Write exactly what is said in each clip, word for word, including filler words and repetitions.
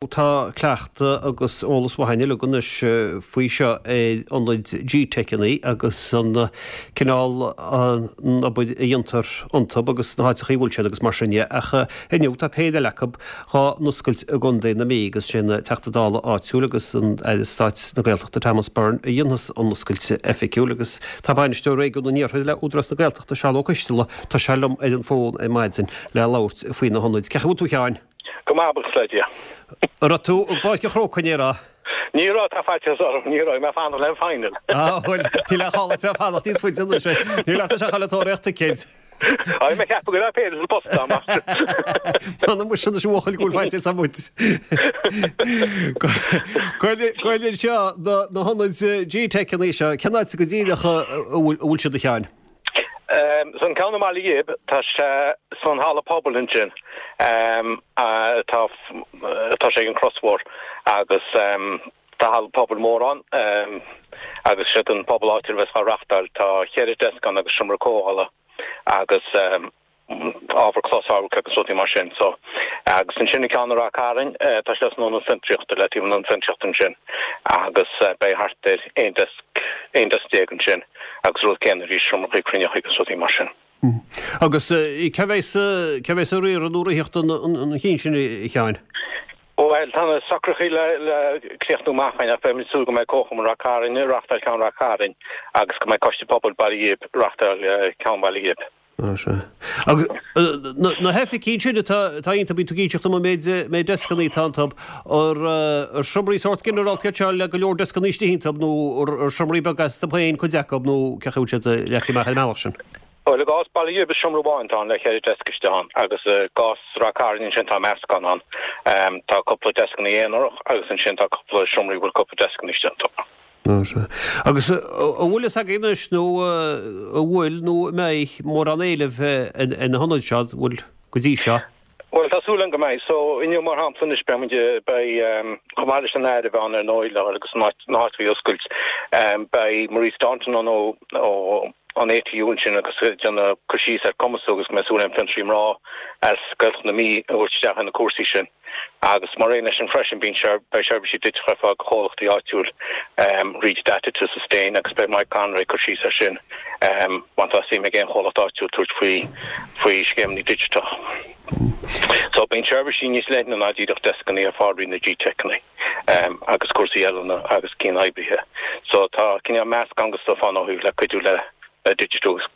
Tá cleachtadh agus eolas maith againn uilig anois faoi seo ar ionaid G-Teiceanna agus an cineál an obair a dhéantar iontu agus na háiteacha a bhfuil siad agus mar sin de. Ach inniu tá péire eile acu dhá n-oscailt i gContae na Mí agus sé an Teachta Dála áitiúil agus an Aire Stáit na Gaeltachta Thomas Byrne a dhéanfas an oscailt oifigiúil agus tá Bainisteoir Réigiún an Iarthair le Údarás na Gaeltachta Seán Ó Coisteala, tá sé liom ar an bhfón ar maidin le labhairt faoi na hionaid. Cén chaoi a bhfuil tú a Sheáin? Go maith, buíochas le Dia. An raibh tú i bPáirc an Chrócaigh inné, an raibh? Ní raibh, tá faitíos orm, ní raibh, mé ag fanacht le an final. Ah, bhuel, níl aon chall duit fanacht níos faide anois, níl ort a ghabháil ag tóraíocht ticéid. Á, bhí mé ag ceapadh go raibh péire sa bpost agam ach. M'anam muise anois a bhuachaill go bhfuil faitíos orm muid. Gabh i leith anseo, na hionaid G-Teiceanna seo, cén áit go díreach a bhfuil siad a Sheáin? So an ceann i mBaile Ghib, tá sé san halla pobail ansin, tá tá sé ag an Chros Mhór agus tá halla pobail mór ann agus siad an pobal áitiúil a bheas á reachtáil. Tá cheithre deasc ann agus seomra comhdhála agus ábhar closamhairc agus rudaí mar sin. So, agus ansin an ceann i Ráth Cairn, tá sé san ionad fiontraíochta, le taobh an ionad fiontraíochta ansin agus beidh thart ar aon deasc, aon deasc déag ansin agus rud céanna arís, seomrachaí cruinneachaí agus rudaí mar sin. Agus cé bheas, cé bheas ag riaradh nó ag ritheacht an chinn sin, a Sheáin? Bhuel, tá na socruithe le le críochnú amach againn ach beimid ag súil go mbeidh Comharchumann Ráth Cairn ag reachtáil ceann Ráth Cairn agus go mbeidh Coiste Pobail Baile Ghib ag reachtáil ceann Bhaile Ghib. Á, sea. Agus na hoifigí ansin atá atá iontu, bíonn tú ag inseacht dom an méid méid deascanna atá iontu, ar ar seomraí sórt ginearálta iad seo le go leor deascanna istigh iontu nó ar seomraí beaga astu féin cuid acu nó cén chaoi a bhfuil siad leagtha amach ar an mbealach sin? Bhuel, i gcás Baile Ghib is seomra amháin atá ann le ceithre deasc istigh ann agus i gcás Ráth Cairn ansin tá meascán ann. Tá cúpla deascanna aonarach agus ansin tá cúpla seomraí a bhfuil cúpla deascanna istigh iontu. Á sea. Agus an bhfuil fhios agaibh anois nó an bhfuil nó an mbeidh mórán éilimh ar na hionaid seo, an bhfuil go dtí seo? Bhuel, tá súil agam go mbeidh. So, inniu, mar shampla, anois, beidh muid, beidh, chomh maith leis an Aire a bheith ann ar ndóigh, le agus na háiteacha a oscailt, beidh Maurice Staunton ann ó, ó an ATU ansin agus ag déanamh cur síos ar cumasú agus go mbeidh súil agam fiontraí mná as Gaeltacht na Mí a thabhairt isteach ar na cúrsaí sin. Agus mar aon leis sin freisin, bíonn sé, beidh seirbhísí digiteacha ar fáil do chomhlachtaí áitiúil, Reach Data to Sustain, agus beidh Mike Conroy ag cur síos air sin, má tá suim ag aon chomhlacht áitiúil tabhairt faoi, faoi scéimeanna digiteach. So, bíonn seirbhísí níos leithne ná díreach deascanna ar fáil rí na G-Teiceanna, agus cúrsaí oiliúna agus cinn oibrithe. So, tá cineál meascán de stuif ann ó thaobh le cuidiú le, le digitiú agus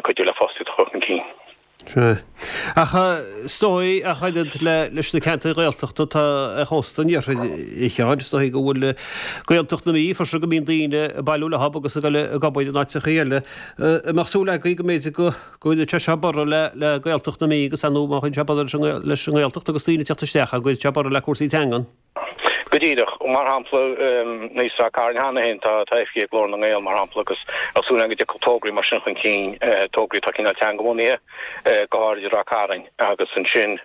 cuidiú le fostaíocht a chur chun cinn. Sea. Ach is dóigh, ach oiread leis na ceantair Ghaeltachta atá ar chósta an iarthair, a Sheáin, is dóigh go bhfuil Gaeltacht na Mí freisin go mbíonn daoine ag bailiú leo agus ag dul ag obair in áiteachaí eile. An mbeadh súil agaibh go mb'fhéidir go gcuirfeadh sé seo borradh le Gaeltacht na Mí agus ar ndóigh má chuireann sé borradh leis an nGaeltacht agus daoine ag teacht isteach, go gcuirfeadh sé borradh le cúrsaí teangan? Go díreach. Mar shampla, i Ráth Cairn cheana féin, tá oifigí ag Glór na nGael, mar shampla, agus tá súil againn go dtiocfadh tograí mar sin chun cinn, tograí atá cineál teangabhunaithe, go háirid i Ráth Cairn. Agus ansin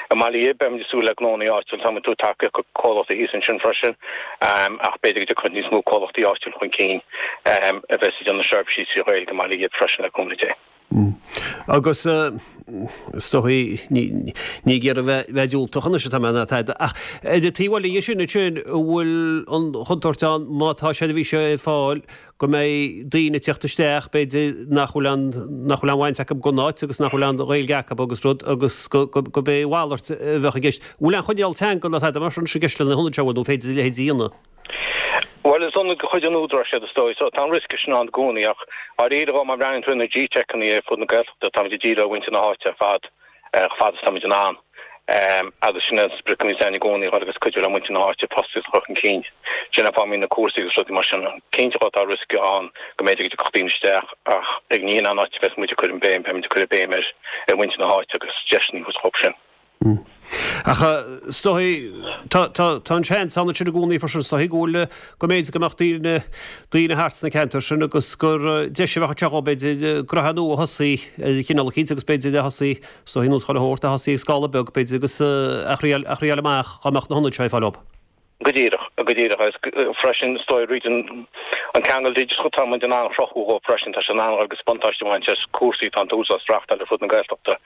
i mBaile Ghib, beimid ag súil le gnónna áitiúla, táimid ag tabhairt tacaíocht do chomhlachtaí thíos ansin freisin, ach b'fhéidir go dtiocfadh níos mó comhlachtaí áitiúla chun cinn a bheas ag déanamh seirbhísí trí Ghaeilge i mBaile Ghib freisin, le cúnamh Dé. Agus is dóigh, ní ag iarraidh bheith diúltach anois atá mé ná tada, ach ar an taobh eile dhe sin ansin, an bhfuil an chontúirt ann má tá seirbhís ar fáil go mbeidh daoine ag teacht isteach, b'fhéidir, nach bhfuil aon, nach bhfuil aon bhaint acu gon áit agus nach bhfuil aon Ghaeilge acu agus rud agus go, go, go b'é a mhalairt a bheadh i gceist. An bhfuil aon choinníoll teanga ná tada mar sin i gceist le na hionaid seo, nó an féidir a leithéid a dhéanamh? Bhuel, is ionad de chuid an Údaráis iad is dóigh, so tá an riosca sin ann i gcónaí ach dháiríre dhó má bhreathnaíonn tú ar na G-Teiceanna ar fud na Gaeltachta, táimid ag díriú ar mhuintir na háite ar fad chomh fada is táimid in ann agus sin é an sprioc a bhíonns againn i gcónaí, a dhul agus cuidiú le muintir na háite fostaíocht a chur chun cinn. Sin an fáth a mbíonn na cúrsaí agus rudaí mar sin ann. Cinnte dhó tá riosca ann go mb'fhéidir go dtiocfadh daoine isteach ach ag ní hin an áit a bheas muid ag cur an béim, beimid ag cur an béim ar mhuintir na háite agus deiseanna a thabhairt dhóibh sin. Ach is dóigh, tá, tá, tá an seans ann ansin i gcónaí freisin, is dóigh, go bhfuil, go mb'fhéidir go mbeadh daoine, daoine thart sna ceantair sin agus gur deis a bheadh anseo dhóibh, b'fhéidir, gnoithe nua a thosaí ar chineál eicínt agus b'fhéidir a thosaí, is dóigh, nós chuile shórt, a thosaí ag scála beag, b'fhéidir, agus a thriail, a thriail amach dá mbeadh na hionaid seo ar fáil dhóibh. Go díreach, go díreach agus freisin is dóigh fríd an an ceangal digiteach atá muid in ann a chruthú dhóibh freisin, tá sé in ann agus buntáiste a bhaint as cúrsaí atá an tÚdarás ag reáchtáil ar fud na Gaeltachta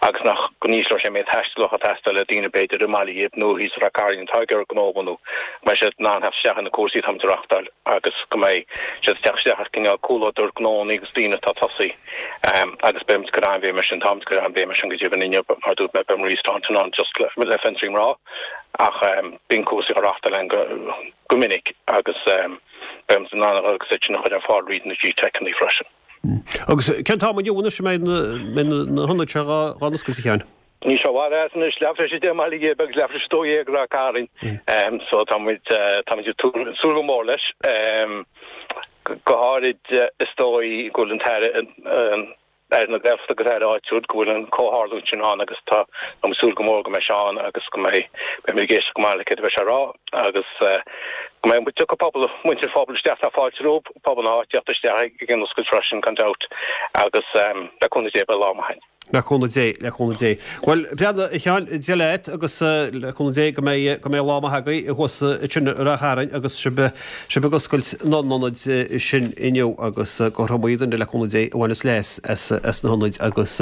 agus nach go n-ísleoidh sé an méid taistil atá ag teastáil le daoine b'fhéidir i mBaile Ghib nó thíos i Rath Cairn atá ag iarraidh gnó a bhunú, go mbeidh siad in ann theacht isteach ar na cúrsaí atá muid a reáchtáil agus go mbeidh siad ag teacht isteach ar cineál comhluadar gnónna agus daoine atá ag tosaí agus beidh muid ag cur an-bhéim air sin, táimid ag cur an-bhéim air sin go deimhin inniu mar a dúirt mé beidh Maurice Staunton ann just le Fiontraí Mná. Ach bíonn cúrsaí á reáchtáil againn go minic agus beidh muid in ann a dhul agus iad sin a chur ar fáil fríd na G-Teiceanna freisin. Agus cén t-am inniu anois a mbeidh na hionaid seo dhá n-oscailt, a Sheáin? Níl sé i bhfad as anois, leathuair tar éis a deich i mBaile Ghib agus leathuair tar éis a dó dhéag i Ráth Cairn. So tá muid tá muid ag súil go mór leis. Go háirid is dóigh go bhfuil an tAire Aire na Gaeltachta agus Aire áitiúil go bhfuil an comhtharlúint sin ann agus tá ag súil go mór go mbeidh sé ann agus go mbeidh beimid ag éisteacht go maith le céard a bheidh sé a rá agus go mbeidh tiocfaidh pobal muintir an phobail isteach tá fáilte rompu pobal na háite teacht isteach ag an oscailt freisin gan dabht agus le cúnamh Dé beidh lá maith againn. Le cúnamh Dé, le cúnamh Dé. Bhuel, breathnaigh, a Sheáin, Dia leat agus le cúnamh Dé go mbeidh, go mbeidh lá maith agaibh thuas ansin i Ráth Chairn agus sibh, sibh ag oscailt na n-ionad sin inniu agus gur iomaí duine le cúnamh Dé a bhaineas leas as, as na hionaid agus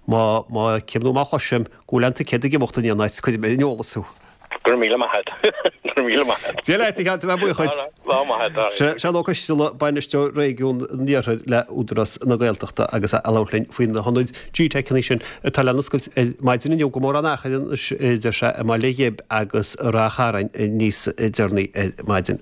má, má fheicim nó má chloisim go bhfuil aon ticéad ag imeacht in aon áit, cuirfidh mé ar an eolas thú. Go raibh míle maith agat. Go raibh míle maith agat. Dia leat, a Sheáin, tá mé buíoch dhuit. Lá maith agat. Seán Ó Coisteala, Bainisteoir Réigiún an Iarthair le Údarás na Gaeltachta agus é ag labhairt linn faoi na hionaid G-Teiceanna sin atá le n-oscailt ar maidin inniu go mórán achar anois, a deir sé, i mBaile Ghib agus i Ráth Chairn níos deireanaí ar maidin.